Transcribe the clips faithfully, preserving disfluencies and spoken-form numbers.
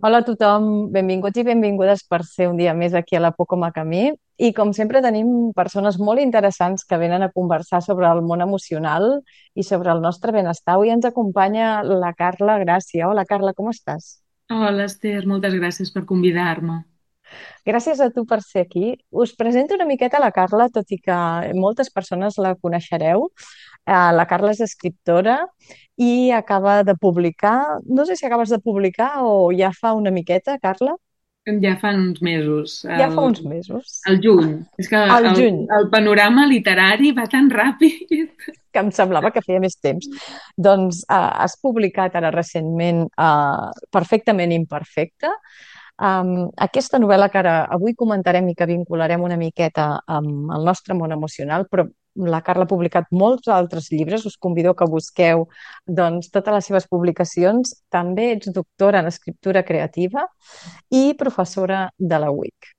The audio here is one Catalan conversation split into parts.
Hola a tothom, benvinguts i benvingudes per ser un dia més aquí a la Pocoma Camí. I com sempre tenim persones molt interessants que venen a conversar sobre el món emocional i sobre el nostre benestar. Avui ens acompanya la Carla Gràcia. Hola Carla, com estàs? Hola, Esther, moltes gràcies per convidar-me. Gràcies a tu per ser aquí. Us presento una miqueta la Carla, tot i que moltes persones la coneixereu. Eh, La Carla és escriptora i acaba de publicar, no sé si acabes de publicar o ja fa una miqueta, Carla. Ja fan uns mesos, Ja el, fa uns mesos. el juny. És que Al el, juny, el panorama literari va tan ràpid. que em semblava que feia més temps. Doncs eh, has publicat ara recentment eh, Perfectament imperfecte. Um, aquesta novel·la que ara avui comentarem i que vincularem una miqueta amb el nostre món emocional, però la Carla ha publicat molts altres llibres, us convido que busqueu doncs, totes les seves publicacions. També ets doctora en escriptura creativa i professora de la U I C.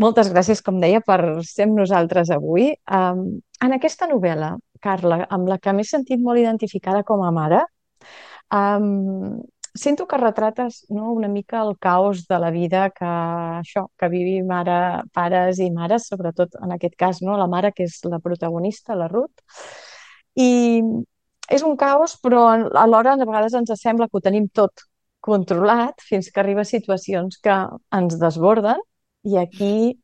Moltes gràcies, com deia, per ser amb nosaltres avui. Um, en aquesta novel·la, Carla, amb la que m'he sentit molt identificada com a mare, um, sento que retrates, no, una mica el caos de la vida que això, que vivim ara pares i mares, sobretot en aquest cas, no, la mare que és la protagonista, la Ruth. I és un caos, però alhora a vegades ens sembla que ho tenim tot controlat fins que arriba a situacions que ens desborden i aquí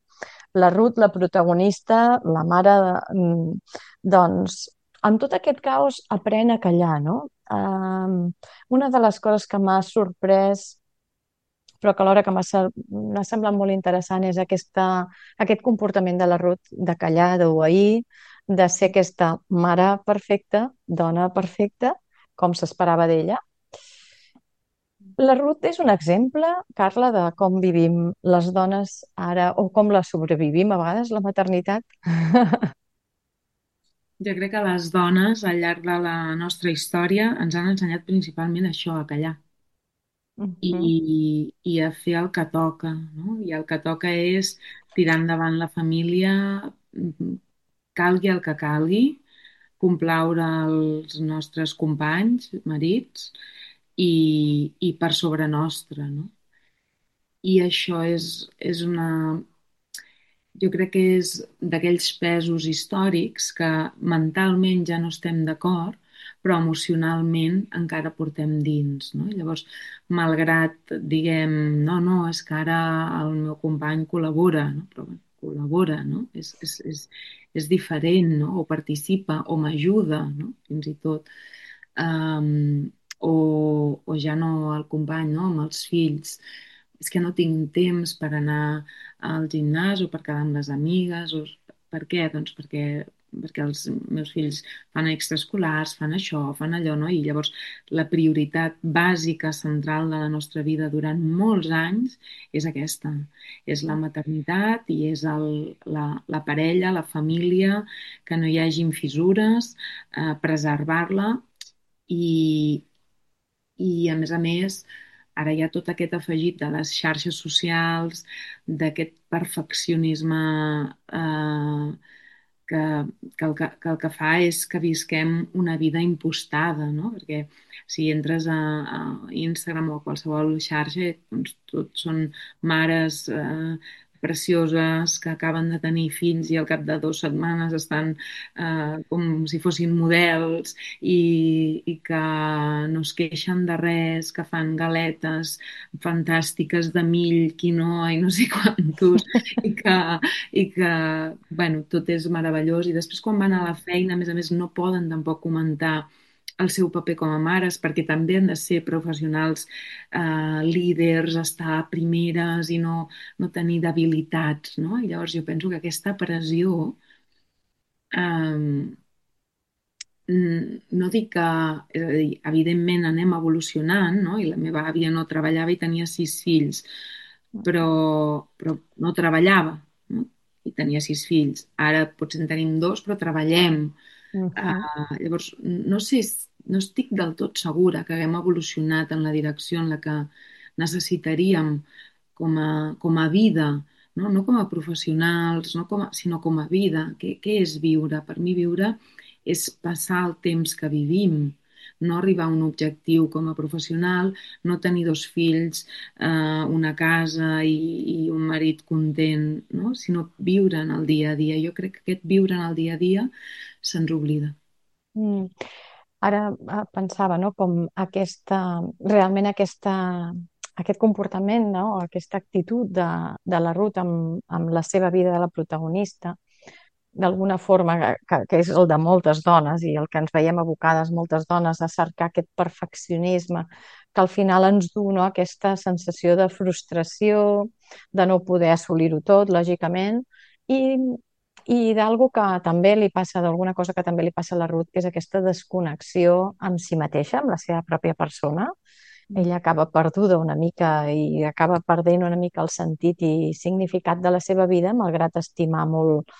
la Ruth, la protagonista, la mare, mm, doncs, amb tot aquest caos aprèn a callar, no? Um, una de les coses que m'ha sorprès, però que alhora que m'ha se- m'ha semblat molt interessant, és aquesta, aquest comportament de la Ruth de callar, d'obeir, de ser aquesta mare perfecta, dona perfecta, com s'esperava d'ella. La Ruth és un exemple, Carla, de com vivim les dones ara o com la sobrevivim a vegades, la maternitat. Jo crec que les dones, al llarg de la nostra història, ens han ensenyat principalment això, a callar Mhm. i, i a fer el que toca, no? I el que toca és tirar endavant la família, mm, calgui el que calgui, complaure els nostres companys, marits, i, i per sobre nostre, no? I això és, és una... Jo crec que és d'aquells pesos històrics que mentalment ja no estem d'acord, però emocionalment encara portem dins, no? Llavors, malgrat diguem, no, no, és que ara el meu company col·labora, no? Però bé, col·labora, no? És, és, és, és diferent, no? O participa, o m'ajuda, no? Fins i tot. Um, o, o ja no el company, no? Amb els fills. És que no tinc temps per anar al gimnàs o per quedar amb les amigues. O... Per què? Doncs perquè, perquè els meus fills fan extraescolars, fan això, fan allò, no? I llavors la prioritat bàsica, central de la nostra vida durant molts anys és aquesta. És la maternitat i és el, la, la parella, la família, que no hi hagin fissures, eh, preservar-la i, i a més a més ara hi ha tot aquest afegit de les xarxes socials, d'aquest perfeccionisme eh, que, que, el que, que el que fa és que visquem una vida impostada, no? Perquè si entres a, a Instagram o a qualsevol xarxa, doncs tot són mares eh, precioses que acaben de tenir fills i al cap de dues setmanes estan eh, com si fossin models i, i que no es queixen de res, que fan galetes fantàstiques de mill, quinoa i no sé quantos, i que, i que bueno, tot és meravellós. I després quan van a la feina, a més a més, no poden tampoc comentar el seu paper com a mares, perquè també han de ser professionals eh, líders, estar primeres i no, no tenir debilitats, no? I llavors jo penso que aquesta pressió eh, mm, no dic que, és a dir, evidentment anem evolucionant, no? I la meva àvia no treballava i tenia sis fills, però, però no treballava, no? I tenia sis fills. Ara potser en tenim dos, però treballem. Mhm. Uh, llavors, no sé, no estic del tot segura que haguem evolucionat en la direcció en la que necessitaríem com a, com a vida, no? No com a professionals, no com a, sinó com a vida. Què, què és viure? Per mi viure és passar el temps que vivim, no arribar a un objectiu com a professional, no tenir dos fills, eh, una casa i, i un marit content, no? Sinó viure en el dia a dia. Jo crec que aquest viure en el dia a dia se'ns oblida. Mm. Ara eh, pensava, no?, com aquesta, realment aquesta, aquest comportament, no?, aquesta actitud de, de la Ruth amb, amb la seva vida de la protagonista, d'alguna forma que, que és el de moltes dones i el que ens veiem abocades moltes dones a cercar aquest perfeccionisme que al final ens du, no?, aquesta sensació de frustració, de no poder assolir-ho tot, lògicament, i, i d'algo que també li passa, d'alguna cosa que també li passa a la Ruth, que és aquesta desconnexió amb si mateixa, amb la seva pròpia persona. Ella acaba perduda una mica i acaba perdent una mica el sentit i significat de la seva vida, malgrat estimar molt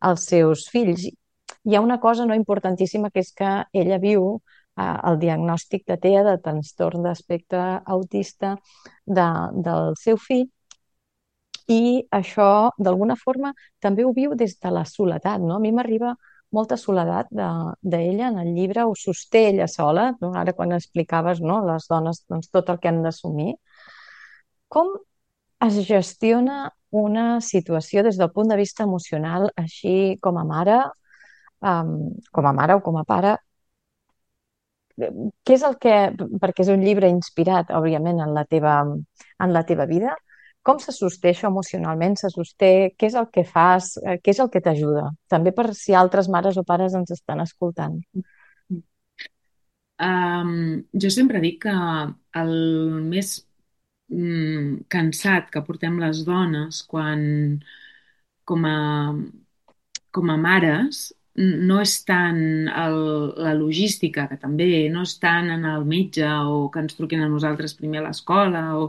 els seus fills. Hi ha una cosa no importantíssima, que és que ella viu eh, el diagnòstic de T E A, de trastorn d'espectre autista, de, del seu fill, i això d'alguna forma també ho viu des de la soledat, no? A mi m'arriba molta soledat de- d'ella en el llibre, ho sosté ella sola, no? Ara quan explicaves, no?, les dones, doncs, tot el que han d'assumir. Com es gestiona una situació des del punt de vista emocional, així com a mare, um, com a mare o com a pare? Què és el que, perquè és un llibre inspirat, òbviament, en la teva, en la teva vida, com se sosté això emocionalment? Se sosté, què és el que fas? Eh, Què és el que t'ajuda? També per si altres mares o pares ens estan escoltant. Um, jo sempre dic que el més mm, cansat que portem les dones quan, com a, com a mares, n- no és tant el, la logística, que també, no és tant en el metge o que ens truquin a nosaltres primer a l'escola, o,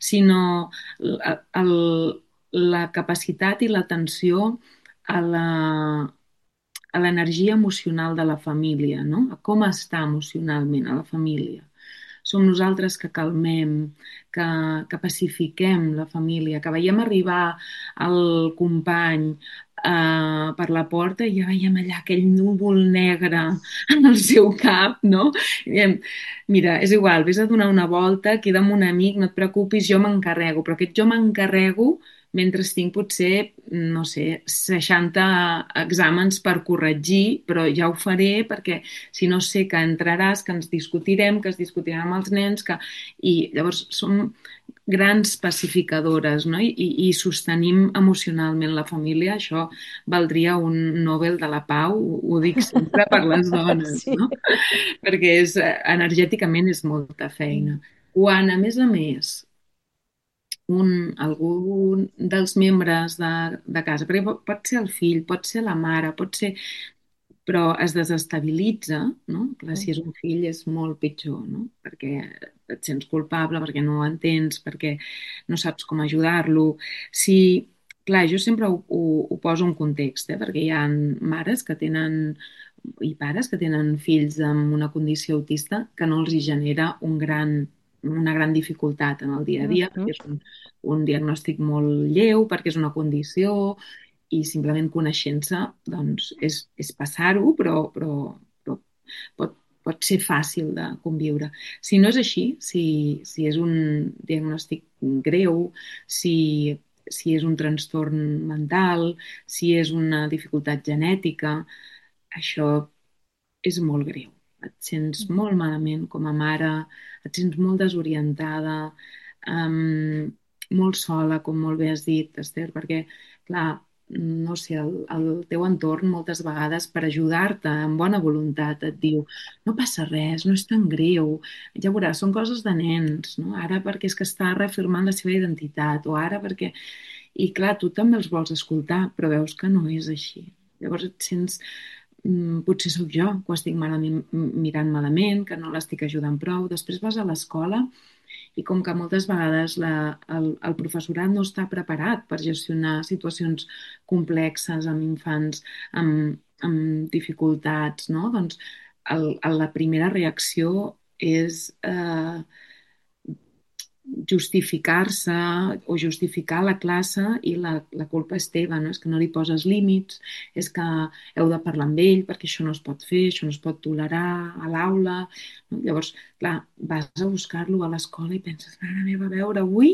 sinó el, el, la capacitat i l'atenció a la, a l'energia emocional de la família, no? A com està emocionalment a la família. Som nosaltres que calmem, que, que pacifiquem la família, que veiem arribar el company eh, per la porta i ja veiem allà aquell núvol negre en el seu cap, no? I diem, mira, és igual, vés a donar una volta, queda amb un amic, no et preocupis, jo m'encarrego, però aquest jo m'encarrego mentre tinc potser, no sé, seixanta exàmens per corregir, però ja ho faré perquè si no sé que entraràs, que ens discutirem, que es discutirà amb els nens, que... i llavors som grans pacificadores, no? I, i sostenim emocionalment la família. Això valdria un Nobel de la Pau, ho, ho dic sempre per les dones, Sí. no? Perquè és, eh, energèticament és molta feina. Quan, a més a més, un, algun dels membres de, de casa, perquè pot, pot ser el fill, pot ser la mare, pot ser, però es desestabilitza, no? Clar, si és un fill és molt pitjor, no? Perquè et sents culpable, perquè no ho entens, perquè no saps com ajudar-lo. Si, clar, jo sempre ho, ho, ho poso en context, eh? Perquè hi ha mares que tenen i pares que tenen fills amb una condició autista que no els hi genera un gran, una gran dificultat en el dia a dia, Mhm. perquè és un, un diagnòstic molt lleu, perquè és una condició, i simplement coneixent-se doncs és, és passar-ho, però, però, però pot, pot ser fàcil de conviure. Si no és així, si, si és un diagnòstic greu, si, si és un trastorn mental, si és una dificultat genètica, això és molt greu. Et sents molt malament com a mare, et sents molt desorientada, um, molt sola, com molt bé has dit, Esther, perquè, clar, no sé, el, el teu entorn moltes vegades per ajudar-te amb bona voluntat et diu no passa res, no és tan greu, ja veuràs, són coses de nens, no? Ara perquè és que està reafirmant la seva identitat, o ara perquè... I clar, tu també els vols escoltar, però veus que no és així. Llavors et sents mm, potser sóc jo que ho estic malament, mirant malament, que no l'estic ajudant prou. Després vas a l'escola i com que moltes vegades la, el, el professorat no està preparat per gestionar situacions complexes amb infants, amb, amb dificultats, no? Doncs el, el, la primera reacció és eh, justificar-se o justificar a la classe i la, la culpa és teva, no? És que no li poses límits, és que heu de parlar amb ell perquè això no es pot fer, això no es pot tolerar a l'aula. No? Llavors, clar, vas a buscar-lo a l'escola i penses, mare meva, a veure avui,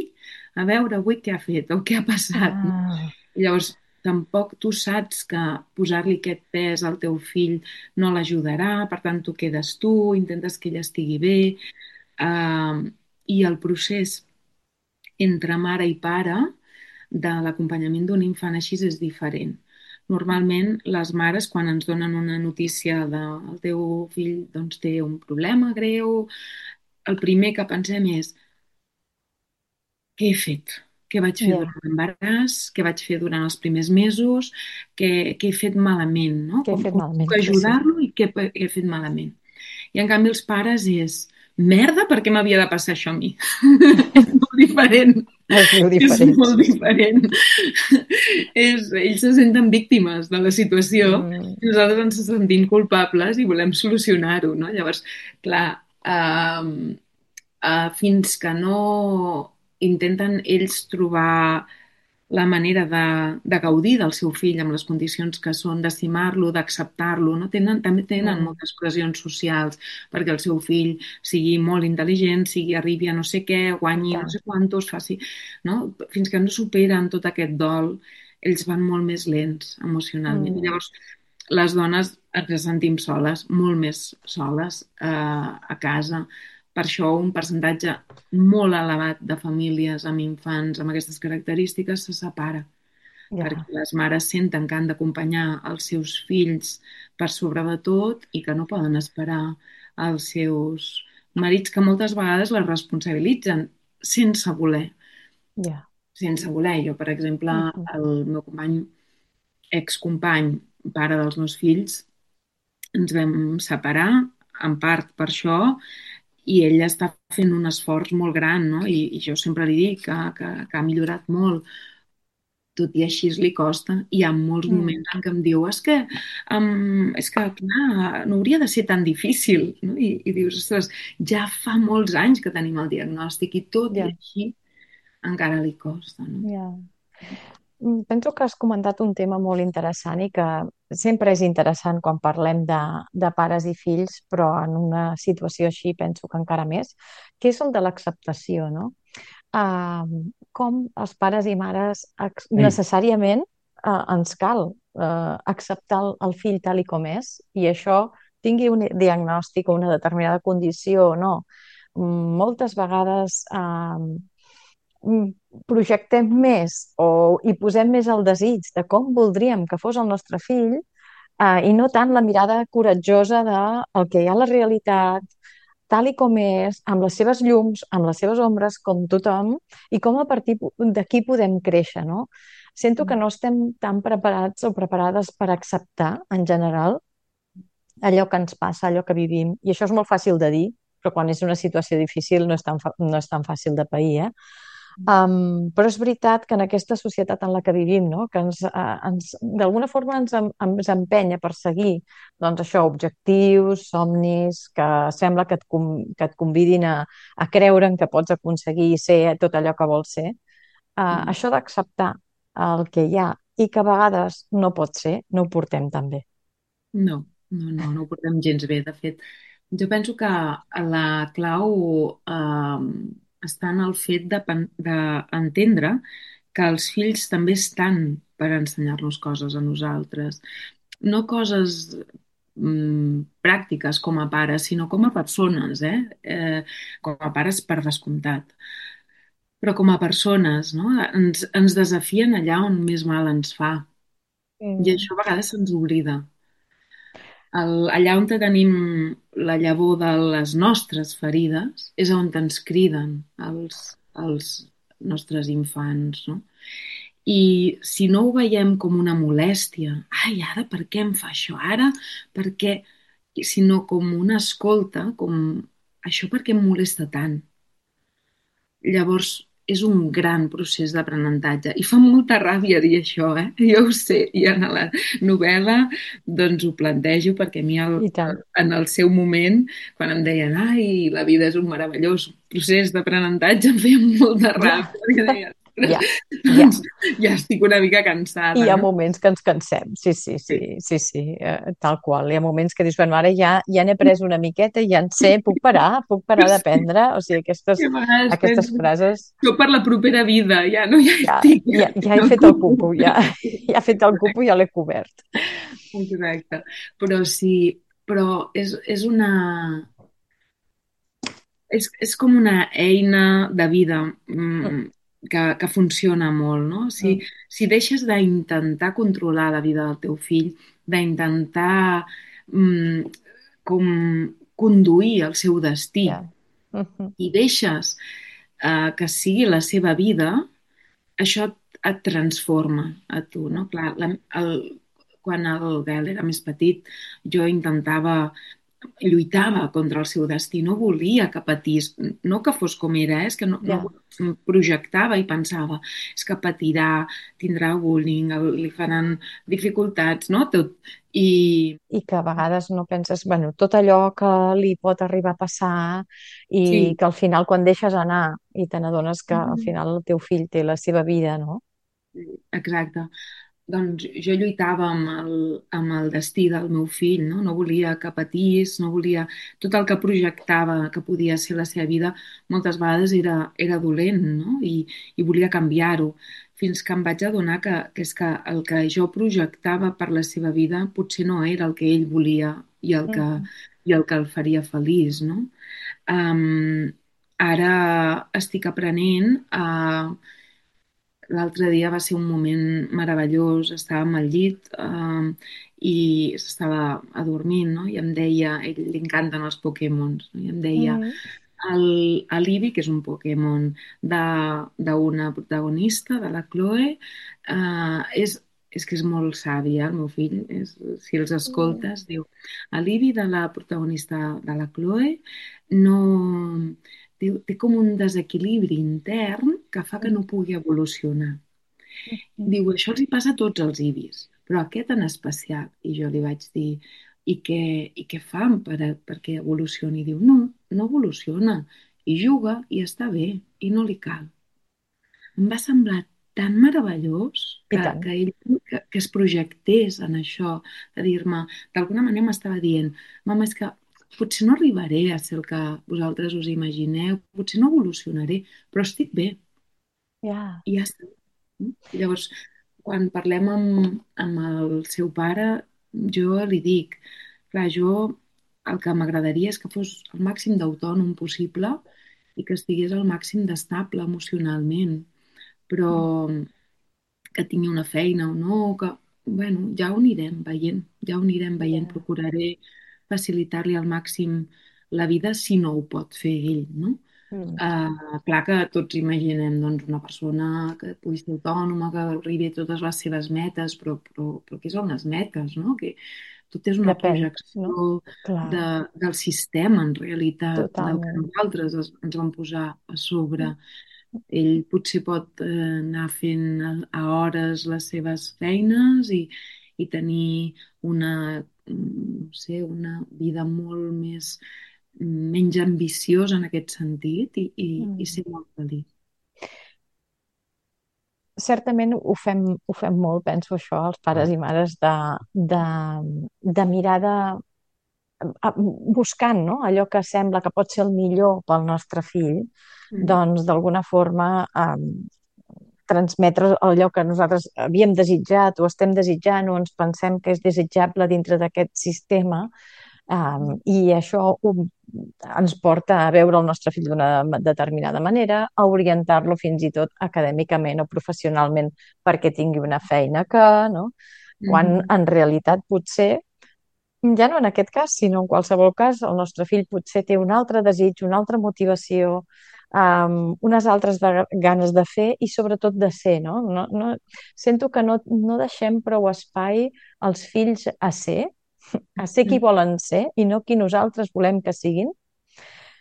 a veure avui què ha fet o què ha passat. No? Ah, I llavors, tampoc tu saps que posar-li aquest pes al teu fill no l'ajudarà, per tant, tu quedes tu, intentes que ell estigui bé, uh, i el procés entre mare i pare de l'acompanyament d'un infant així és diferent. Normalment, les mares, quan ens donen una notícia del teu fill doncs, té un problema greu, el primer que pensem és què he fet? Què vaig fer ja, durant l'embaràs? Què vaig fer durant els primers mesos? Què, què he fet malament? No? què he Com, fet com malament? puc Sí, sí. ajudar-lo i què he he fet malament? I en canvi els pares és merda, per què m'havia de passar això a mi? És molt diferent. Es diu És diferent, molt sí, sí. diferent. És, ells se senten víctimes de la situació Mm, i nosaltres ens sentim culpables i volem solucionar-ho, no? Llavors, clar, eh, eh, fins que no intenten ells trobar la manera de, de gaudir del seu fill amb les condicions que són, d'estimar-lo, d'acceptar-lo, no? Tenen, també tenen mm, moltes pressions socials perquè el seu fill sigui molt intel·ligent, sigui, arribi a no sé què, I guanyi no tant, sé quantos, faci... No? Fins que no superen tot aquest dol, ells van molt més lents emocionalment. I mm, llavors, les dones ens sentim soles, molt més soles eh, a casa. Per això un percentatge molt elevat de famílies amb infants amb aquestes característiques se separa, ja, perquè les mares senten que han d'acompanyar els seus fills per sobre de tot i que no poden esperar els seus marits, que moltes vegades les responsabilitzen sense voler, ja. sense voler. Jo, per exemple, Mhm. el meu company, excompany, pare dels meus fills, ens vam separar, en part per això, i ell està fent un esforç molt gran, no? I, i jo sempre li dic que, que, que ha millorat molt, tot i així li costa. Hi ha molts Mm, moments en què em diu és que, um, és que clar, no hauria de ser tan difícil, no? I, i dius, ostres, ja fa molts anys que tenim el diagnòstic i tot i ja, així encara li costa, no? ja. Mm, penso que has comentat un tema molt interessant i que sempre és interessant quan parlem de, de pares i fills, però en una situació així penso que encara més, que és el de l'acceptació, no? Ah, com els pares i mares ex- necessàriament eh, ens cal eh, acceptar el, el fill tal i com és i això tingui un diagnòstic o una determinada condició o no. Mm, moltes vegades eh, mm, projectem més o hi posem més el desig de com voldríem que fos el nostre fill eh, i no tant la mirada coratjosa de el que hi ha a la realitat, tal i com és, amb les seves llums, amb les seves ombres, com tothom, i com a partir d'aquí podem créixer, no? Sento que no estem tan preparats o preparades per acceptar, en general, allò que ens passa, allò que vivim, i això és molt fàcil de dir, però quan és una situació difícil no és tan, fa- no és tan fàcil de pair, eh? Um, però és veritat que en aquesta societat en la que vivim, no? Que ens, uh, ens, d'alguna forma ens, em- ens empeny a perseguir doncs això, objectius, somnis, que sembla que et, com- que et convidin a, a creure en que pots aconseguir ser tot allò que vols ser. Uh, Mm. això d'acceptar el que hi ha i que a vegades no pot ser, no ho portem tan bé. No, no, no, no ho portem gens bé. De fet, jo penso que la clau eh, està en el fet de pen- d'entendre que els fills també estan per ensenyar-nos coses a nosaltres. No coses mm, pràctiques com a pares, sinó com a persones, eh? Eh, com a pares per descomptat. Però com a persones, no? Ens, ens desafien allà on més mal ens fa. I Mm, això a vegades se'ns oblida. El, allà on tenim la llavor de les nostres ferides és on ens criden els, els nostres infants, no? I si no ho veiem com una molèstia, ai, ara per què em fa això? Ara per què? Sinó com una escolta, com això per què em molesta tant? Llavors és un gran procés d'aprenentatge i fa molta ràbia dir això, eh? Jo ho sé, i en la novel·la doncs ho plantejo perquè a mi el, I tant. en el seu moment, quan em deien ai, la vida és un meravellós procés d'aprenentatge, em feia molta Ja, ràbia perquè deia, ja, ja. doncs ja estic una mica I hi cansada, ha no? moments que ens cansem, sí, sí, sí, Sí. sí, sí, eh, tal qual. Hi ha moments que dius, bueno, ara ja, ja n'he pres una miqueta, ja en sé, puc parar, puc parar Sí. d'aprendre. O sigui, aquestes, I a vegades aquestes penso, frases, jo per la propera vida, ja no, ja ja, estic, ja ja, estic ja he al fet el cupo. cupo, ja, ja he fet el cupo, ja l'he cobert. Exacte. Però sí, però és, és una... És, és com una eina de vida Mm, mm, que, que funciona molt, no? Si, mm, si deixes d'intentar controlar la vida del teu fill, d'intentar mm, com conduir el seu destí ja. Mhm, i deixes eh, que sigui la seva vida, això et, et transforma a tu, no? Clar, la, el, quan el Gael era més petit, jo intentava lluitava contra el seu destí, no volia que patís, no que fos com era, eh? És que no, no ja. projectava i pensava, és que patirà, tindrà bullying, el- li faran dificultats, no? Tot. I I que a vegades no penses, bueno, tot allò que li pot arribar a passar i sí, que al final quan deixes anar i te n'adones que al final el teu fill té la seva vida, no? exacte. Doncs jo lluitava amb el, amb el destí del meu fill, no? No volia que patís, no volia... Tot el que projectava que podia ser la seva vida, moltes vegades era, era dolent, no? I, i volia canviar-ho, fins que em vaig adonar que, que és que el que jo projectava per la seva vida potser no era el que ell volia i el que, Mhm. i el que el faria feliç, no? Um, Ara estic aprenent a l'altre dia va ser un moment meravellós, estàvem al llit eh, i s'estava adormint, no? I em deia, a ell li encanten els Pokémons, no? I em deia, Mm, el, el Eevee, que és un Pokémon de d'una protagonista, de la Chloe, eh, és, és que és molt savi, eh, el meu fill, és, si els mm, escoltes, diu, l'Eevee de la protagonista de la Chloe no té, té com un desequilibri intern que fa que mm, no pugui evolucionar. mm. Diu, això els hi passa a tots els ibis, però aquest en especial. I jo li vaig dir, i què, i què fan per, a- perquè evolucioni? I diu, no, no evoluciona. I juga i està bé, i no li cal. Em va semblar tan meravellós I que, tant, que ell que, que es projectés en això, de dir-me, d'alguna manera m'estava dient, mama, és que potser no arribaré a ser el que vosaltres us imagineu, potser no evolucionaré, però estic bé, ja, i ja està. No? I llavors, quan parlem amb, amb el seu pare, jo li dic, clar, jo el que m'agradaria és que fos el màxim d'autònom possible i que estigués al màxim d'estable emocionalment, però que tingui una feina o no, que, bueno, ja ho anirem veient, ja ho anirem veient, ja. procuraré facilitar-li al màxim la vida si no ho pot fer ell, no? Mm, Uh, clar que tots imaginem doncs, una persona que pugui ser autònoma, que arribi a totes les seves metes, però, però, però què són les metes, no? Que tot és una depèn, no? projecció Clar, de, del sistema, en realitat, del que totalment. nosaltres es, ens vam posar a sobre. Mm, Ell potser pot eh, anar fent a, a hores les seves feines i, i tenir una, mm, no sé, una vida molt més menys ambiciosa en aquest sentit i, i, i mm. ser molt feliç. Certament ho fem, ho fem molt, penso això, els pares i mares, de, de, de mirada, a- buscant, no? Allò que sembla que pot ser el millor pel nostre fill, Mm. doncs d'alguna forma eh, transmetre allò que nosaltres havíem desitjat o estem desitjant o ens pensem que és desitjable dintre d'aquest sistema. Um, I això ho, ens porta a veure el nostre fill d'una determinada manera, a orientar-lo fins i tot acadèmicament o professionalment perquè tingui una feina que, no? Quan Mhm. en realitat potser, ja no en aquest cas, sinó en qualsevol cas, el nostre fill potser té un altre desig, una altra motivació, um, unes altres de, ganes de fer i sobretot de ser, no? No, no sento que no, no deixem prou espai als fills a ser, a ser qui Mm. volen ser i no qui nosaltres volem que siguin.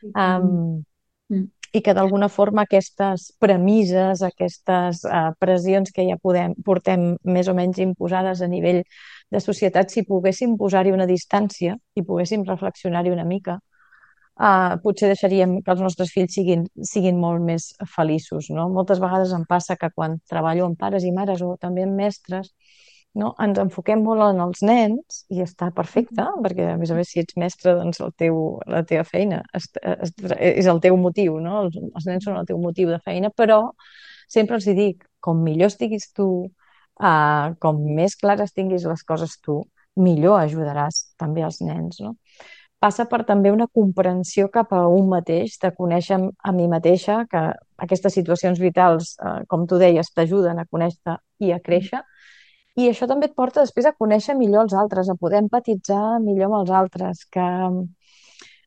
I tant. Um, Mm. i que d'alguna forma aquestes premisses, aquestes uh, pressions que ja podem, portem més o menys imposades a nivell de societat, si poguéssim posar-hi una distància i poguéssim reflexionar-hi una mica, uh, potser deixaríem que els nostres fills siguin, siguin molt més feliços, no? Moltes vegades em passa que quan treballo amb pares i mares o també amb mestres, no? Ens enfoquem molt en els nens i està perfecte, perquè a més a més si ets mestre doncs el teu, la teva feina és, és, és el teu motiu, no? Els, els nens són el teu motiu de feina, però sempre els hi dic, com millor estiguis tu, uh, com més clares tinguis les coses tu, millor ajudaràs també els nens, no? Passa per també una comprensió cap a un mateix, de conèixer a mi mateixa, que aquestes situacions vitals, eh, com tu deies, t'ajuden a conèixer i a créixer, i això també et porta després a conèixer millor els altres, a poder empatitzar millor amb els altres, que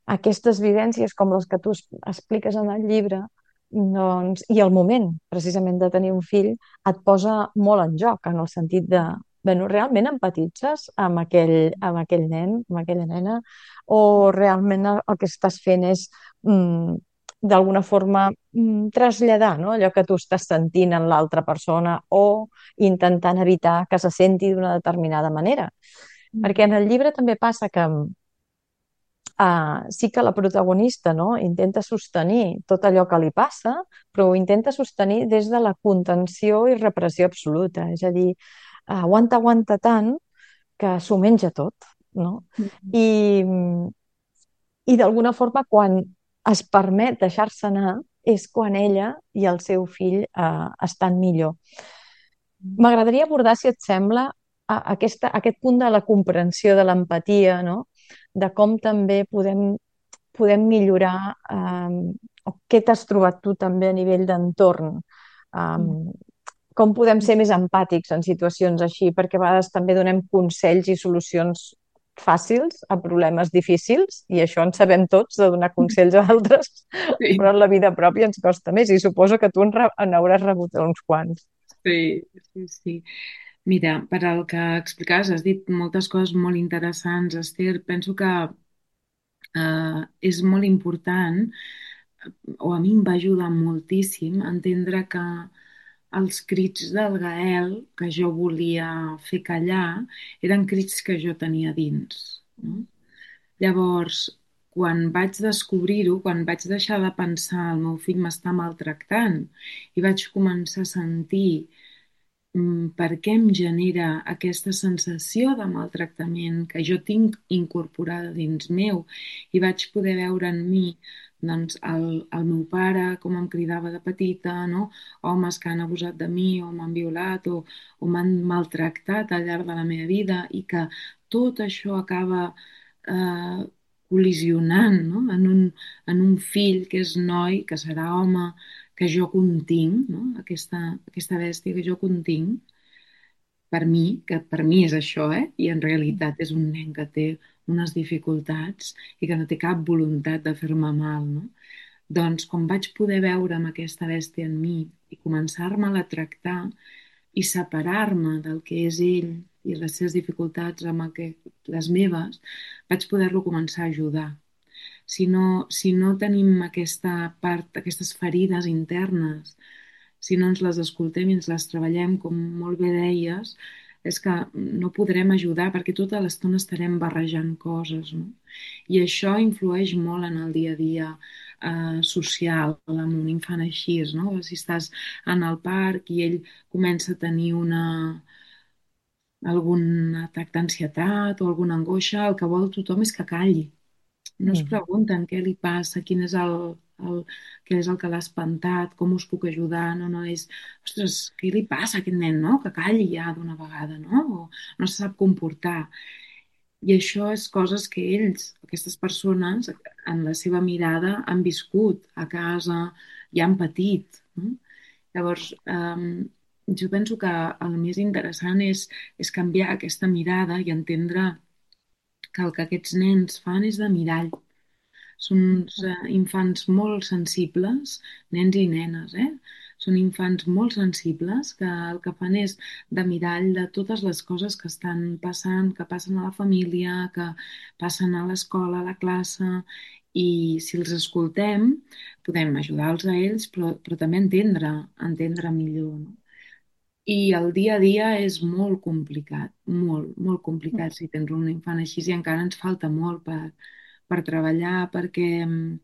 aquestes vivències com les que tu es- expliques en el llibre, doncs, i el moment precisament de tenir un fill et posa molt en joc, en el sentit de, bueno, realment empatitzes amb aquell, amb aquell nen, amb aquella nena, o realment el, el que estàs fent és mm, d'alguna forma mm, traslladar, no? Allò que tu estàs sentint en l'altra persona o intentant evitar que se senti d'una determinada manera. Perquè en el llibre també passa que uh, sí que la protagonista, no? Intenta sostenir tot allò que li passa, però ho intenta sostenir des de la contenció i repressió absoluta. És a dir, uh, aguanta, aguanta tant que s'ho menja tot, no? I, i d'alguna forma, quan es permet deixar-se anar, és quan ella i el seu fill uh, estan millor. M'agradaria abordar, si et sembla, a aquesta, aquest punt de la comprensió, de l'empatia, no? De com també podem, podem millorar, eh, o què t'has trobat tu també a nivell d'entorn, eh, com podem ser més empàtics en situacions així, perquè a vegades també donem consells i solucions fàcils a problemes difícils, i això en sabem tots, de donar consells a altres, Sí, però en la vida pròpia ens costa més, i suposo que tu en, re- en hauràs rebut uns quants. sí, sí, sí. Mira, per al que explicaves, has dit moltes coses molt interessants, Esther. Penso que eh, és molt important, o a mi em va ajudar moltíssim, a entendre que els crits del Gael que jo volia fer callar eren crits que jo tenia dins, no? Llavors, quan vaig descobrir-ho, quan vaig deixar de pensar el meu fill m'està maltractant i vaig començar a sentir mm, per què em genera aquesta sensació de maltractament que jo tinc incorporada dins meu i vaig poder veure en mi doncs, el, el meu pare, com em cridava de petita, no? Homes que han abusat de mi o m'han violat o, o m'han maltractat al llarg de la meva vida i que tot això acaba eh, col·lisionant, no? En un, en un fill que és noi, que serà home, que jo continc, no? Aquesta, aquesta bèstia que jo continc, per mi, que per mi és això, eh? I en realitat és un nen que té unes dificultats i que no té cap voluntat de fer-me mal, no? Doncs quan vaig poder veure amb aquesta bèstia en mi i començar-me-la a tractar i separar-me del que és ell i les seves dificultats amb el que, les meves, vaig poder-lo començar a ajudar. Si no, si no tenim aquesta part, aquestes ferides internes, si no ens les escoltem i ens les treballem, com molt bé deies, és que no podrem ajudar perquè tota l'estona estarem barrejant coses, no? I això influeix molt en el dia a dia eh, social amb un infant així, no? Si estàs en el parc i ell comença a tenir una, algun atac d'ansietat o alguna angoixa, el que vol tothom és que calli. No es Mm. pregunten què li passa, quin és el, el, què és el que l'ha espantat, com us puc ajudar, no, no, és, ostres, què li passa a aquest nen, no? Que calli ja d'una vegada, no? O no se sap comportar. I això és coses que ells, aquestes persones, en la seva mirada, han viscut a casa i han patit, no? Llavors, um, jo penso que el més interessant és, és canviar aquesta mirada i entendre que el que aquests nens fan és de mirall. Són uns eh, infants molt sensibles, nens i nenes, eh? Són infants molt sensibles que el que fan és de mirall de totes les coses que estan passant, que passen a la família, que passen a l'escola, a la classe, i si els escoltem podem ajudar-los a ells, però, però també entendre, entendre millor, no? I el dia a dia és molt complicat, molt, molt complicat si tens un infant així i encara ens falta molt per, per treballar perquè mm,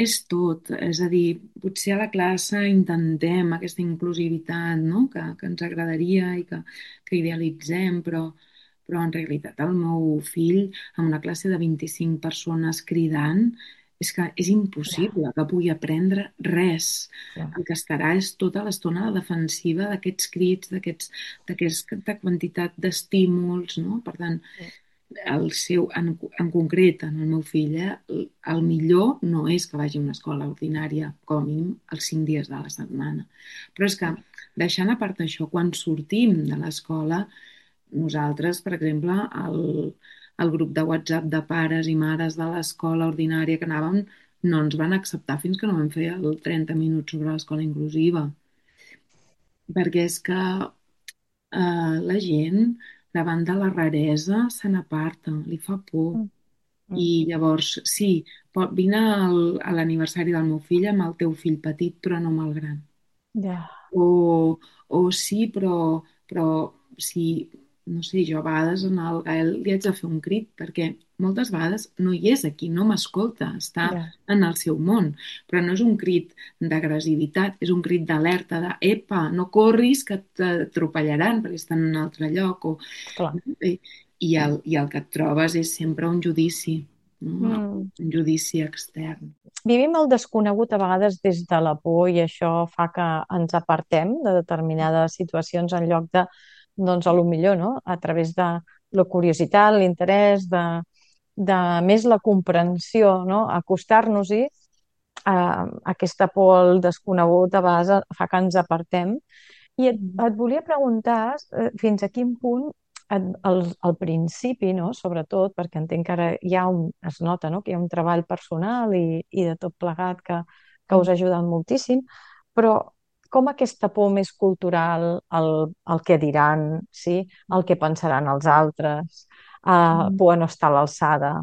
és tot, és a dir, potser a la classe intentem aquesta inclusivitat, no? que, que ens agradaria i que, que idealitzem, però, però en realitat el meu fill, en una classe de vint-i-cinc persones cridant, és que és Ja, impossible que pugui aprendre res. ja, El que estarà és tota l'estona a la defensiva d'aquests crits, d'aquests, d'aquesta quantitat d'estímuls, no? Per tant, el seu, en, en concret, en el meu fill, eh, el el millor no és que vagi a una escola ordinària, com a mínim els cinc dies de la setmana. Però és que, deixant a part això, quan sortim de l'escola, nosaltres, per exemple, el, el grup de WhatsApp de pares i mares de l'escola ordinària que anàvem, no ens van acceptar fins que no vam fer el trenta minuts sobre l'escola inclusiva. Perquè és que eh, la gent, davant de la raresa, se n'aparta, li fa por. mm, I mm, llavors, sí, pot, vine al, a l'aniversari del meu fill amb el teu fill petit, però no amb el gran. ja, O, o sí, però, però sí, no sé, jo a vegades en el Gael li haig de fer un crit perquè moltes vegades no hi és aquí, no m'escolta, està ja, en el seu món, però no és un crit d'agressivitat, és un crit d'alerta, de epa, no corris que t'atropellaran perquè estan en un altre lloc, o, clar. i, i, el, i el que et trobes és sempre un judici, no? Mm. Un judici extern. Vivim el desconegut a vegades des de la por i això fa que ens apartem de determinades situacions en lloc de, doncs, a lo millor, no? A través de la curiositat, l'interès, de, de més la comprensió, no? Acostar-nos-hi, eh, aquesta por al desconegut a vegades fa que ens apartem. I et, Mm. et volia preguntar eh, fins a quin punt et, al, al principi, no? Sobretot, perquè entenc que ara hi ha un, es nota, no? Que hi ha un treball personal i, i de tot plegat que, que us ha ajudat moltíssim, però com aquesta por més cultural, el, el que diran, sí? El que pensaran els altres, eh, Mm. por a no estar a l'alçada,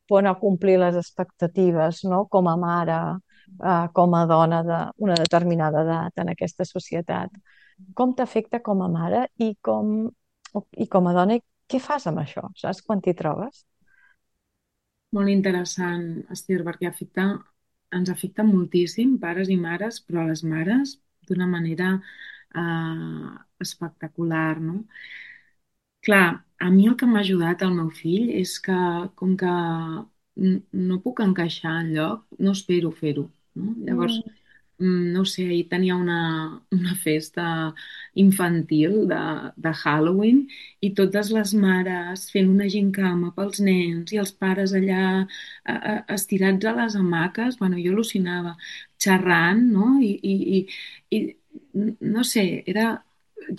por a no complir les expectatives, no? Com a mare, eh, com a dona d'una determinada edat en aquesta societat. Com t'afecta com a mare i com, i com a dona, i què fas amb això, saps, quan t'hi trobes? Molt interessant, Estir, perquè afecta, ens afecta moltíssim, pares i mares, però a les mares d'una manera eh, espectacular, no? Clar, a mi el que m'ha ajudat el meu fill és que, com que n- no puc encaixar enlloc, no espero fer-ho, no? Llavors, Mm, mm, no ho sé, ahir tenia una, una festa infantil de, de Halloween i totes les mares fent una gincama pels nens i els pares allà eh, eh, estirats a les hamaques, bueno, jo al·lucinava, xerrant, no? I, i, i, i no sé, era...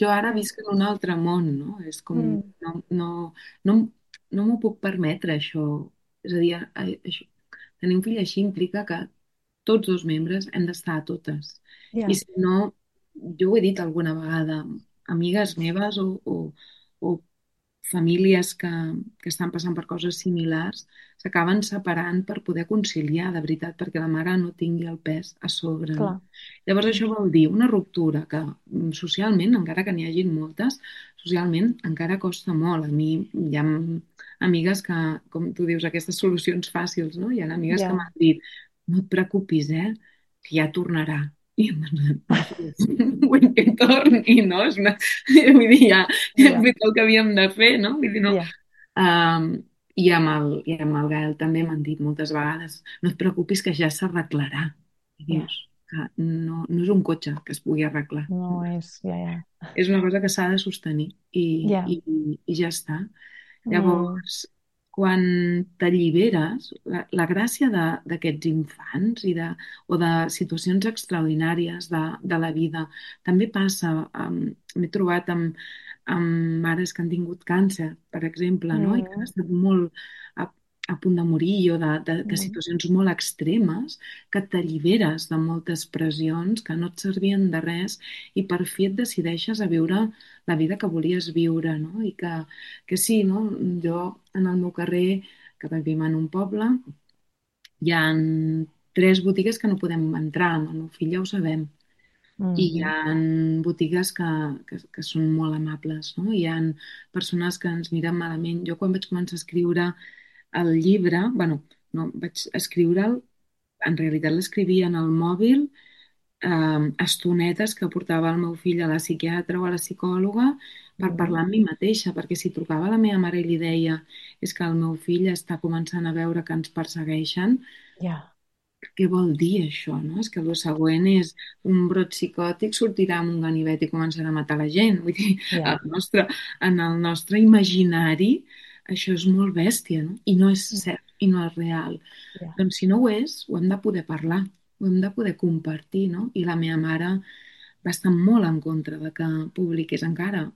Jo ara mm, visc en un altre món, no? És com... mm, No, no, no, no m'ho puc permetre, això. És a dir, a- això, tenir un fill així implica que tots dos membres hem d'estar a totes. I ja, si no, jo ho he dit alguna vegada, amigues meves o, o, o famílies que, que estan passant per coses similars s'acaben separant per poder conciliar, de veritat, perquè la mare no tingui el pes a sobre, no? clar. Llavors Mm, això vol dir una ruptura que mm, socialment, encara que n'hi hagin moltes, socialment encara costa molt. A mi hi ha amigues que, com tu dius, aquestes solucions fàcils, no? Hi ha amigues que ja, m'han dit, no et preocupis, eh, que ja tornarà. I em van no fes, vull que torni, no? És una... Vull dir, ja, ja hem ja, fet el que havíem de fer, no? Vull dir, no. ja, Um, i, amb el, I amb el Gael també m'han dit moltes vegades, no et preocupis que ja s'arreglarà. I ja. dius que no, no és un cotxe que es pugui arreglar. No és, ja, ja, És una cosa que s'ha de sostenir i, ja. i, i ja està. Mm, Llavors, quan t'alliberes, la, la gràcia de- d'aquests infants i de, o de situacions extraordinàries de, de la vida també passa. Um, M'he trobat amb, amb mares que han tingut càncer, per exemple, no? I que han mm, estat molt a, a punt de morir o de, de, de mm, situacions molt extremes que t'alliberes de moltes pressions que no et servien de res i per fi et decideixes a viure la vida que volies viure, no? I que, que sí, no? Jo en el meu carrer, que vivim en un poble, Hi ha tres botigues que no podem entrar, amb el meu fill ja ho sabem. I hi Mhm. ha botigues que, que, que són molt amables, no? Hi ha persones que ens miren malament. Jo quan vaig començar a escriure el llibre, bueno, no, vaig escriure'l, en realitat l'escrivia en el mòbil, eh, estonetes que portava el meu fill a la psiquiatra o a la psicòloga per Mhm. parlar amb mi mateixa, perquè si trucava a la meva mare i li deia és que el meu fill està començant a veure que ens persegueixen, Ja, què vol dir això, no? És que el següent és un brot psicòtic, sortirà amb un ganivet i començarà a matar la gent. Vull dir, el ja, nostre, en el nostre imaginari això és molt bèstia, no? I no és cert, i no és real. ja, Doncs si no ho és, ho hem de poder parlar, ho hem de poder compartir, no? I la meva mare va estar molt en contra de que publiqués encara,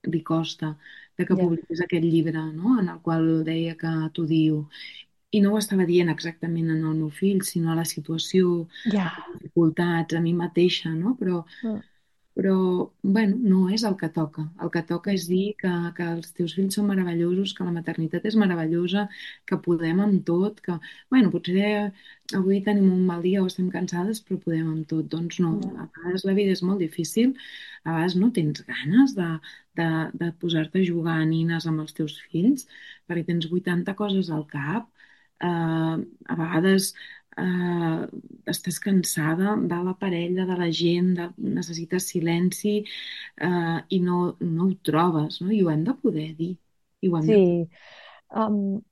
li costa, de que ja, publiqués aquest llibre, no? En el qual deia que t'odio. I no ho estava dient exactament en el meu fill, sinó a la situació, ja. a les dificultats, a mi mateixa, no? Però, Mm, però bueno, no és el que toca. El que toca mm, és dir que, que els teus fills són meravellosos, que la maternitat és meravellosa, que podem amb tot, que, bueno, potser avui tenim un mal dia o estem cansades, però podem amb tot. Doncs no, ja, a vegades la vida és molt difícil, a vegades no tens ganes de, de, de posar-te a jugar a nines amb els teus fills, perquè tens vuitanta coses al cap, eh, a vegades eh, estàs cansada de la parella, de la gent, de, necessites silenci eh, i no, no ho trobes, no? I ho hem de poder dir. I ho hem de poder. sí. Um,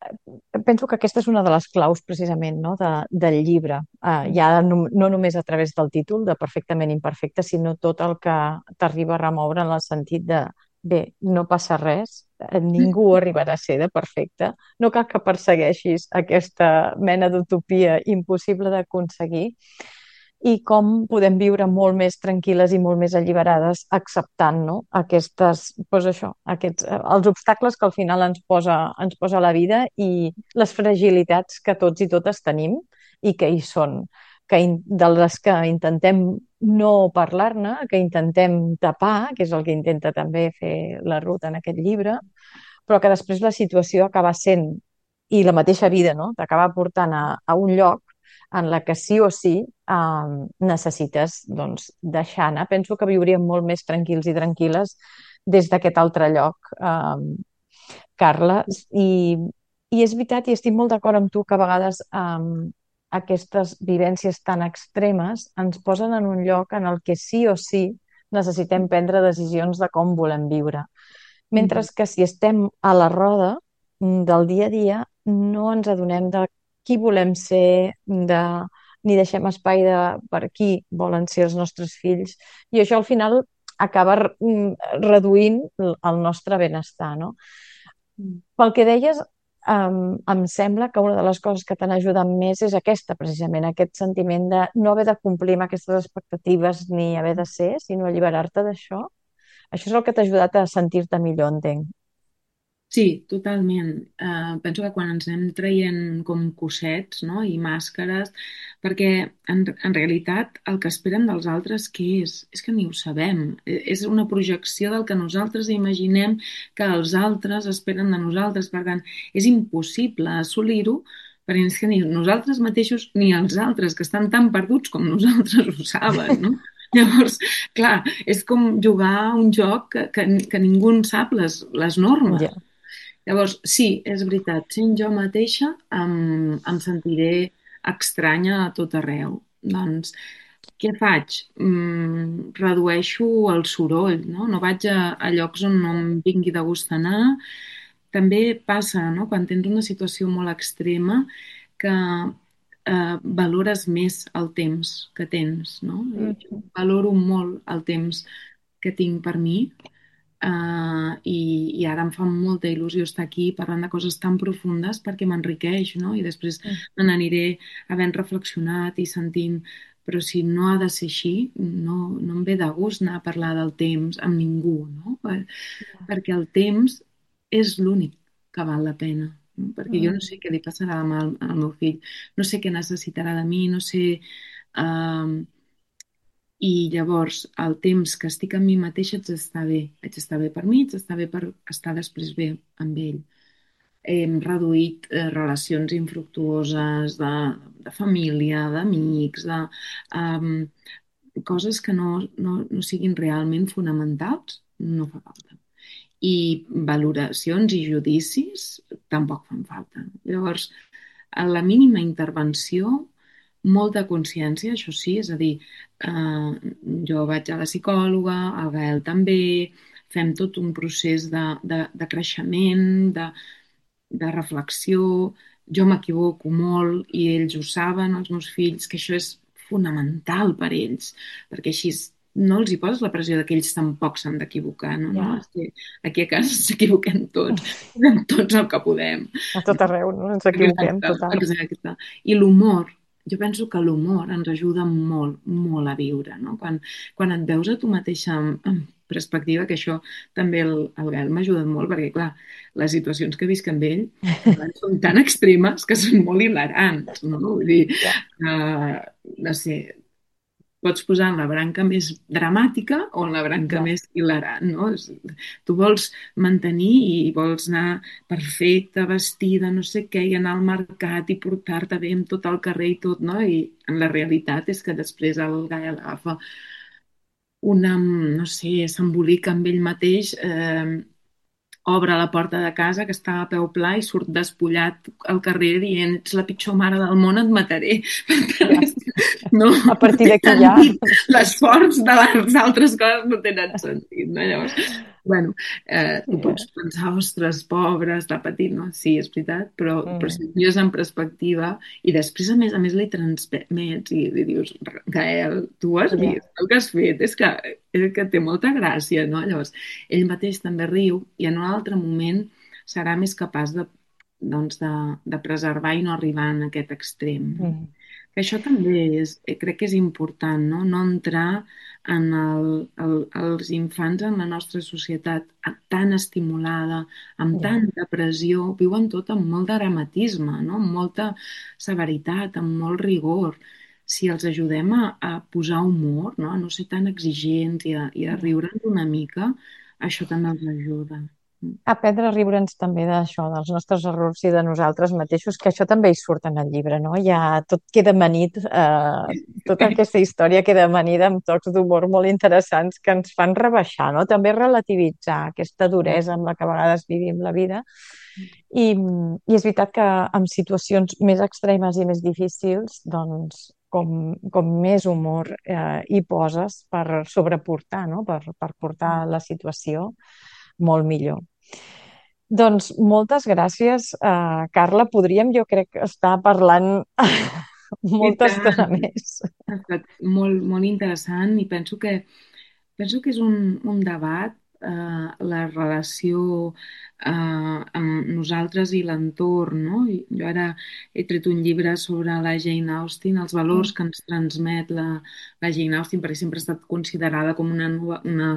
penso que aquesta és una de les claus precisament, no, de, del llibre. Uh, ja no, no només a través del títol de Perfectament Imperfecte, sinó tot el que t'arriba a remoure en el sentit de bé, no passa res, eh, ningú arribarà a ser de perfecte, no cal que persegueixis aquesta mena d'utopia impossible d'aconseguir i com podem viure molt més tranquil·les i molt més alliberades acceptant, no? Aquestes, doncs això, aquests, eh, els obstacles que al final ens posa, ens posa la vida i les fragilitats que tots i totes tenim i que hi són, que in, de les que intentem no parlar-ne, que intentem tapar, que és el que intenta també fer la Ruth en aquest llibre, però que després la situació acaba sent, i la mateixa vida, no? T'acaba portant a, a un lloc en la que sí o sí eh, necessites doncs, deixar anar. Penso que viuríem molt més tranquils i tranquil·les des d'aquest altre lloc, eh, Carla. I, I és veritat, i estic molt d'acord amb tu, que a vegades eh, aquestes vivències tan extremes ens posen en un lloc en el que sí o sí necessitem prendre decisions de com volem viure. Mentre Mhm. que si estem a la roda mm, del dia a dia, no ens adonem de qui volem ser, de, ni deixem espai de per qui volen ser els nostres fills. I això al final acaba mm, reduint el el nostre benestar, no? Pel que deies, em, em sembla que una de les coses que t'han ajudat més és aquesta, precisament, aquest sentiment de no haver de complir amb aquestes expectatives ni haver de ser, sinó alliberar-te d'això. Això és el que t'ha ajudat a sentir-te millor, entenc. Sí, totalment. Eh, penso que quan ens anem traient com cossets, no? I màscares, perquè en, en realitat el que esperen dels altres què és? És que ni ho sabem. Eh, És una projecció del que nosaltres imaginem que els altres esperen de nosaltres. Per tant, és impossible assolir-ho perquè és que ni nosaltres mateixos ni els altres, que estan tan perduts com nosaltres, ho saben, no? Llavors, clar, és com jugar a un joc que, que, que ningú en sap les, les normes. Ja. Llavors, sí, és veritat, sent jo mateixa em, em sentiré estranya a tot arreu. Doncs, què faig? Mm, redueixo el soroll, no? No vaig a, a llocs on no em vingui de gust anar. També passa, no?, quan tens una situació molt extrema que eh, valores més el temps que tens, no? I jo Mhm. valoro molt el temps que tinc per mi. Uh, i, i ara em fa molta il·lusió estar aquí parlant de coses tan profundes perquè m'enriqueix, no? I després Mm. me n'aniré havent reflexionat i sentint, però si no ha de ser així, no, no em ve de gust anar a parlar del temps amb ningú, no? Per, perquè el temps és l'únic que val la pena, no? Perquè jo no sé Mm. què li passarà demà al, al meu fill, no sé què necessitarà de mi, no sé... Uh, i llavors, el temps que estic amb mi mateixa haig d'estar bé. Haig d'estar bé per mi, haig d'estar bé per estar després bé amb ell. Hem reduït eh, relacions infructuoses de, de família, d'amics, de um, coses que no, no, no siguin realment fonamentals, no fa falta. I valoracions i judicis tampoc fan falta. Llavors, a la mínima intervenció, molta consciència, això sí, és a dir, eh, jo vaig a la psicòloga, el Gael també, fem tot un procés de, de, de creixement, de, de reflexió, jo m'equivoco molt i ells ho saben, els meus fills, que això és fonamental per ells, perquè així no els hi poses la pressió de que ells tampoc s'han d'equivocar, no? No? Ja, És que aquí a casa ens equivoquem tots, fem tots el que podem. a tot arreu, no? Ens equivoquem, Exacte, total. exacte. I l'humor, jo penso que l'humor ens ajuda molt, molt a viure, no? Quan, quan et veus a tu mateixa amb, amb perspectiva, que això també el, el Gael m'ha ajudat molt, perquè, clar, les situacions que visc amb ell a vegades són tan extremes que són molt hilarants, no? Vull dir, Ja, uh, no sé, pots posar en la branca més dramàtica o en la branca ja. més hilarant, no? És- Tu vols mantenir i vols anar perfecta, vestida, no sé què, i anar al mercat i portar-te bé amb tot el carrer i tot, no? I en la realitat és que després el Gael agafa una, no sé, s'embolica amb ell mateix, eh, obre la porta de casa que està a peu pla i surt despullat al carrer dient ets la pitjor mare del món, et mataré. Per tant, Ja. és que no, A no partir té d'aquí ja... sentit. L'esforç de les altres coses no tenen sentit, no? Llavors, bueno, eh, tu Ja. pots pensar, ostres, pobre, està patint, no? Sí, és veritat, però, però Mm, si ho mires en perspectiva i després, a més a més, li transmets i li dius, Gael, tu has ja. vist el que has fet? És que, és que té molta gràcia, no? Llavors, ell mateix també riu i en un altre moment serà més capaç de, doncs de, de preservar i no arribar en aquest extrem. No? Mm, Que això també és, eh, crec que és important, no? No entrar en el, el, els infants en la nostra societat tan estimulada, amb ja. tanta pressió, viuen tot amb molt de dramatisme, no? Amb molta severitat, amb molt rigor. Si els ajudem a, a posar humor, no? A no ser tan exigents i a, i a Ja. riure'ns una mica, això també els ajuda. Aprendre a riure'ns també d'això, dels nostres errors i de nosaltres mateixos, que això també hi surt en el llibre, no? Ja tot queda amanit, eh, tota aquesta història queda amanida amb tocs d'humor molt interessants que ens fan rebaixar, no? També relativitzar aquesta duresa amb la que a vegades vivim la vida. I, i és veritat que en situacions més extremes i més difícils, doncs, com, com més humor eh, hi poses per sobreportar, no? Per, per portar la situació molt millor. Doncs moltes gràcies, uh, Carla. Podríem, jo crec, estar parlant I molta estona tant. més. Ha estat molt, molt interessant i penso que, penso que és un, un debat, eh, la relació eh, amb nosaltres i l'entorn, no? I jo ara he tret un llibre sobre la Jane Austen, els valors Mm, que ens transmet la, la Jane Austen, perquè sempre ha estat considerada com una, nova- una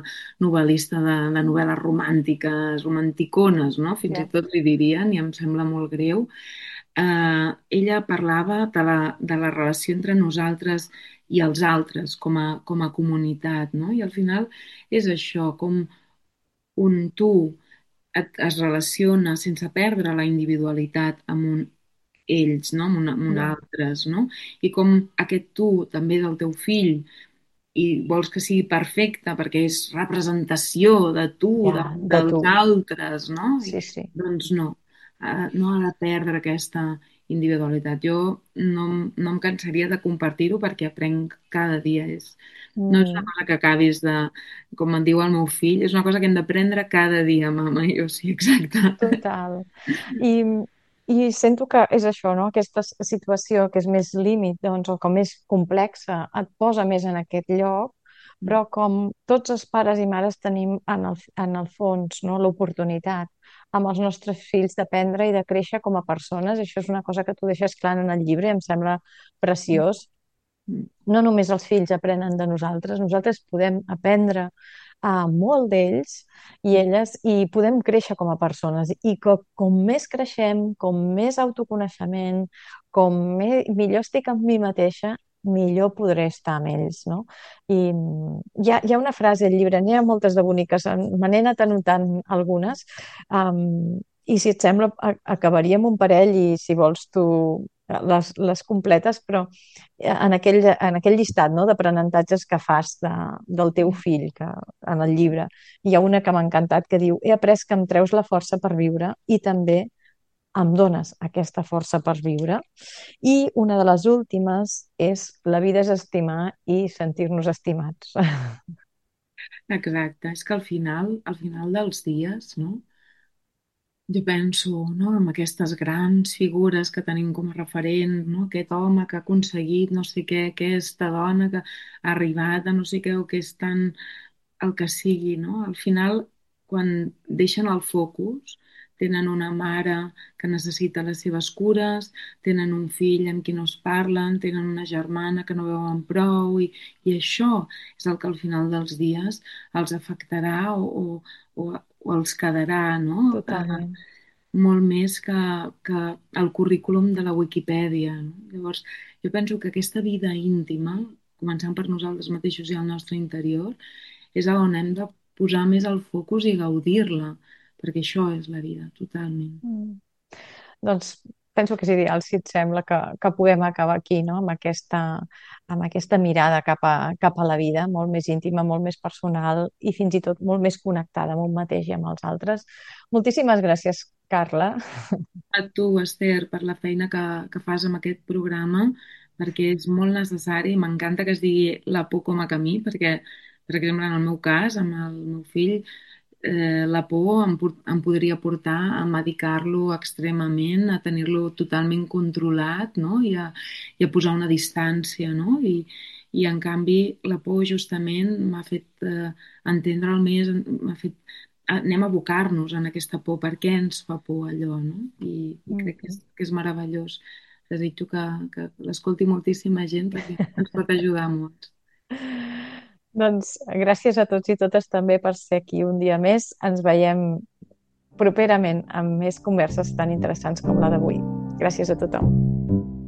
novel·lista de, de novel·les romàntiques, romanticones, no? Fins i ja, tot li dirien, i em sembla molt greu. Eh, ella parlava de la, de la relació entre nosaltres i els altres com a, com a comunitat, no? I al final és això, com un tu et, es relaciona sense perdre la individualitat amb un ells, no? Amb, una, amb un ja, altres, no? I com aquest tu també del teu fill i vols que sigui perfecte perquè és representació de tu, de, ja, de dels tu. altres, no? I, Sí, sí. doncs no, eh, no ha de perdre aquesta individualitat. Jo no, em- no em cansaria de compartir-ho perquè aprenc cada dia. És, no és una Mm, cosa que acabis de, com em diu el meu fill, és una cosa que hem d'aprendre cada dia, mama. I jo sí, exacte. total. I, I sento que és això, no? Aquesta s- situació que és més límit, doncs, o com més complexa, et posa més en aquest lloc, però com tots els pares i mares tenim en el, en el fons, no? L'oportunitat amb els nostres fills d'aprendre i de créixer com a persones. Això és una cosa que tu deixes clar en el llibre i em sembla preciós. No només els fills aprenen de nosaltres, nosaltres podem aprendre a molt d'ells i elles i podem créixer com a persones i que com més creixem, com més autoconeixement, com me, millor estic amb mi mateixa, millor podré estar amb ells, no? I mm, hi ha, hi ha una frase al llibre, n'hi ha moltes de boniques, en- me n'he anat anotant algunes, um, i si et sembla a- acabaríem un parell i si vols tu les, les completes, però eh, en aquell, en aquell llistat, no, d'aprenentatges que fas de, del teu fill que, en el llibre, hi ha una que m'ha encantat que diu: he après que em treus la força per viure i també em dones aquesta força per viure. I una de les últimes és: la vida és estimar i sentir-nos estimats. Exacte, és que al final, al final dels dies, no? Jo penso, no, en aquestes grans figures que tenim com a referent, no? Aquest home que ha aconseguit no sé què, aquesta dona que ha arribat a no sé què o que és tan el que sigui, no? Al final, quan deixen el focus, tenen una mare que necessita les seves cures, tenen un fill amb qui no es parlen, tenen una germana que no veuen prou i, i això és el que al final dels dies els afectarà o, o, o, o els quedarà, no? Eh, Totalment. molt més que, que el currículum de la Wikipedia, no? Llavors, jo penso que aquesta vida íntima, començant per nosaltres mateixos i el nostre interior, és a on hem de posar més el focus i gaudir-la, perquè això és la vida, totalment. Mm. Doncs penso que és ideal, si et sembla, que, que puguem acabar aquí, no? Amb aquesta, amb aquesta mirada cap a, cap a la vida, molt més íntima, molt més personal i fins i tot molt més connectada amb un mateix i amb els altres. Moltíssimes gràcies, Carla. A tu, Esther, per la feina que, que fas amb aquest programa, perquè és molt necessari. M'encanta que es digui la por com a camí, perquè, per exemple, en el meu cas, amb el meu fill, eh, la por em, por- em podria portar a medicar-lo extremament, a tenir-lo totalment controlat, no? I a, i a posar una distància, no? I, i en canvi, la por justament m'ha fet eh, entendre'l més, m'ha fet anem a abocar-nos en aquesta por, per què ens fa por allò, no? I, i crec que és, Mhm. que és meravellós. Desitjo que, que l'escolti moltíssima gent perquè ens pot ajudar molt. Doncs gràcies a tots i totes també per ser aquí un dia més. Ens veiem properament amb més converses tan interessants com la d'avui. Gràcies a tothom.